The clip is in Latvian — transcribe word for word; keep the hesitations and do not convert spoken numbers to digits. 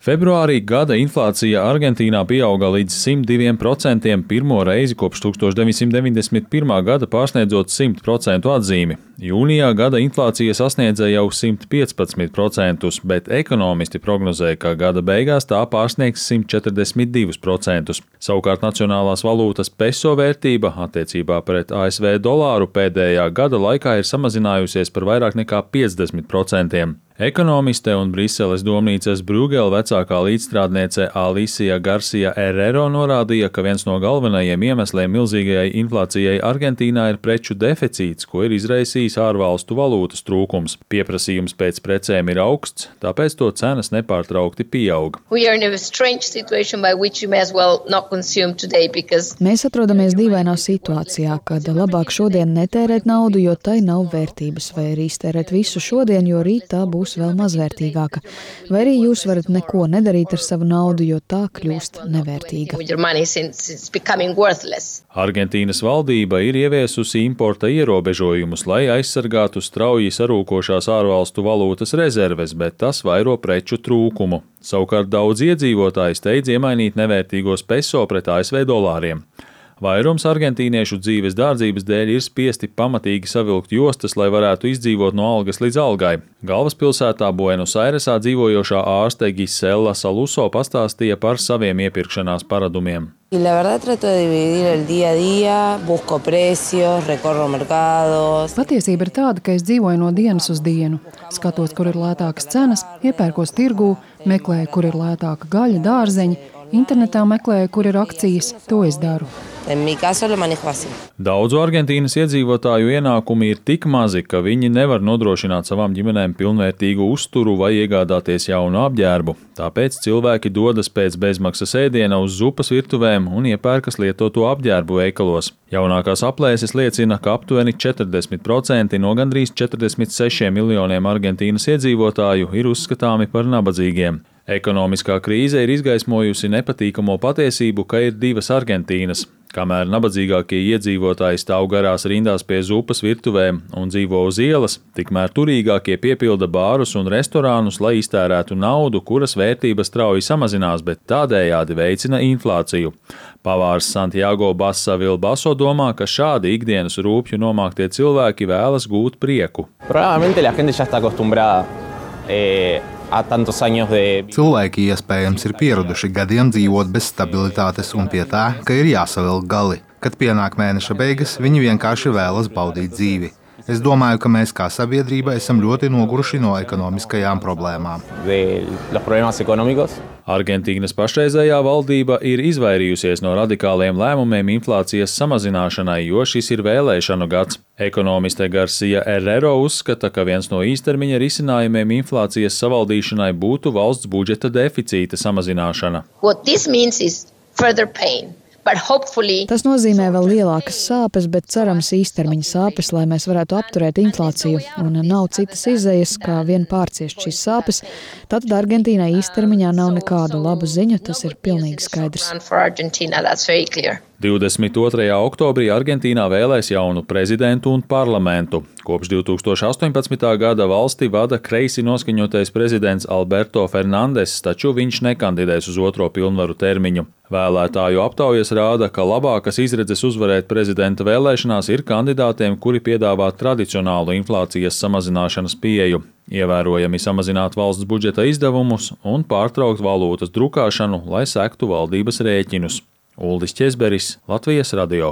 Februārī gada inflācija Argentīnā pieauga līdz simt diviem procentiem pirmo reizi kopš tūkstoš deviņsimt deviņdesmit pirmā gada pārsniedzot simt procentu atzīmi. Jūnijā gada inflācija sasniedza jau simt piecpadsmit procentus, bet ekonomisti prognozēja, ka gada beigās tā pārsniegs simt četrdesmit divus procentus. Savukārt nacionālās valūtas peso vērtība attiecībā pret A S V dolāru pēdējā gada laikā ir samazinājusies par vairāk nekā piecdesmit procentiem. Ekonomiste un Briseles domnīcas Brugela vecākā līdzstrādniece Alicia Garcia Herrero norādīja, ka viens no galvenajiem iemesliem milzīgajai inflācijai Argentīnā ir preču deficīts, ko ir izraisījis ārvalstu valūtas trūkums. Pieprasījums pēc precēm ir augsts, tāpēc to cenas nepārtraukti pieaug. Mēs atrodamies dīvainā situācijā, kad labāk šodien netērēt naudu, jo tai nav vērtības, vai arī iztērēt visu šodien, jo rīt tā būs vēl mazvērtīgāka, vai arī jūs varat neko nedarīt ar savu naudu, jo tā kļūst nevērtīga. Argentīnas valdība ir ieviesusi importa ierobežojumus, lai aizsargātu strauji sarūkošās ārvalstu valūtas rezerves, bet tas vairo preču trūkumu. Savukārt daudz iedzīvotāji steidz iemainīt nevērtīgos peso pret A S V dolāriem. Vairums argentīniešu dzīves dārdzības dēļ ir spiesti pamatīgi savilkt jostas, lai varētu izdzīvot no algas līdz algai. Galvaspilsētā Buenos Airesā dzīvojošā ārste Gisela Saluso pastāstīja par saviem iepirkšanās paradumiem. Patiesība ir tāda, ka es dzīvoju no dienas uz dienu. Skatos, kur ir lētākas cenas, iepērkos tirgū, meklēju, kur ir lētāka gaļa, dārzeņi, internetā meklēju, kur ir akcijas, to es daru. Daudzu Argentīnas iedzīvotāju ienākumi ir tik mazi, ka viņi nevar nodrošināt savām ģimenēm pilnvērtīgu uzturu vai iegādāties jaunu apģērbu. Tāpēc cilvēki dodas pēc bezmaksas ēdiena uz zupas virtuvēm un iepērkas lietoto apģērbu veikalos. Jaunākās aplēses liecina, ka aptuveni četrdesmit procenti no gandrīz četrdesmit sešiem miljoniem Argentīnas iedzīvotāju ir uzskatāmi par nabadzīgiem. Ekonomiskā krīze ir izgaismojusi nepatīkamo patiesību, ka ir divas Argentīnas. Kamēr nabadzīgākie iedzīvotāji stāv garās rindās pie zupas virtuvēm un dzīvo uz ielas, tikmēr turīgākie piepilda bārus un restorānus, lai iztērētu naudu, kuras vērtības strauji samazinās, bet tādējādi veicina inflāciju. Pavārs Santiago Bassa Vilbaso domā, ka šādi ikdienas rūpju nomāktie cilvēki vēlas gūt prieku. Cilvēki iespējams ir pieraduši gadiem dzīvot bez stabilitātes un pie tā, ka ir jāsavilk gali. Kad pienāk mēneša beigas, viņi vienkārši vēlas baudīt dzīvi. Es domāju, ka mēs kā sabiedrība esam ļoti noguruši no ekonomiskajām problēmām. Argentīnas pašreizējā valdība ir izvairījusies no radikāliem lēmumiem inflācijas samazināšanai, jo šis ir vēlēšanu gads. Ekonomiste Garcia Herrero uzskata, ka viens no īstermiņa risinājumiem inflācijas savaldīšanai būtu valsts budžeta deficīta samazināšana. Tas nozīmē vēl lielākas sāpes, bet cerams īstermiņa sāpes, lai mēs varētu apturēt inflāciju, un nav citas izejas, kā vien pārciest šīs sāpes. Tātad Argentīnai īstermiņā nav nekādu labu ziņu, tas ir pilnīgi skaidrs. divdesmit otrajā oktobrī Argentīnā vēlēs jaunu prezidentu un parlamentu. Kopš divi tūkstoši astoņpadsmitā gada valsti vada kreisi noskaņotais prezidents Alberto Fernandes, taču viņš nekandidēs uz otro pilnvaru termiņu. Vēlētāju aptaujas rāda, ka labākas izredzes uzvarēt prezidenta vēlēšanās ir kandidātiem, kuri piedāvā tradicionālu inflācijas samazināšanas pieeju, ievērojami samazināt valsts budžeta izdevumus un pārtraukt valūtas drukāšanu, lai sektu valdības rēķinus. Uldis Ķezberis, Latvijas radio.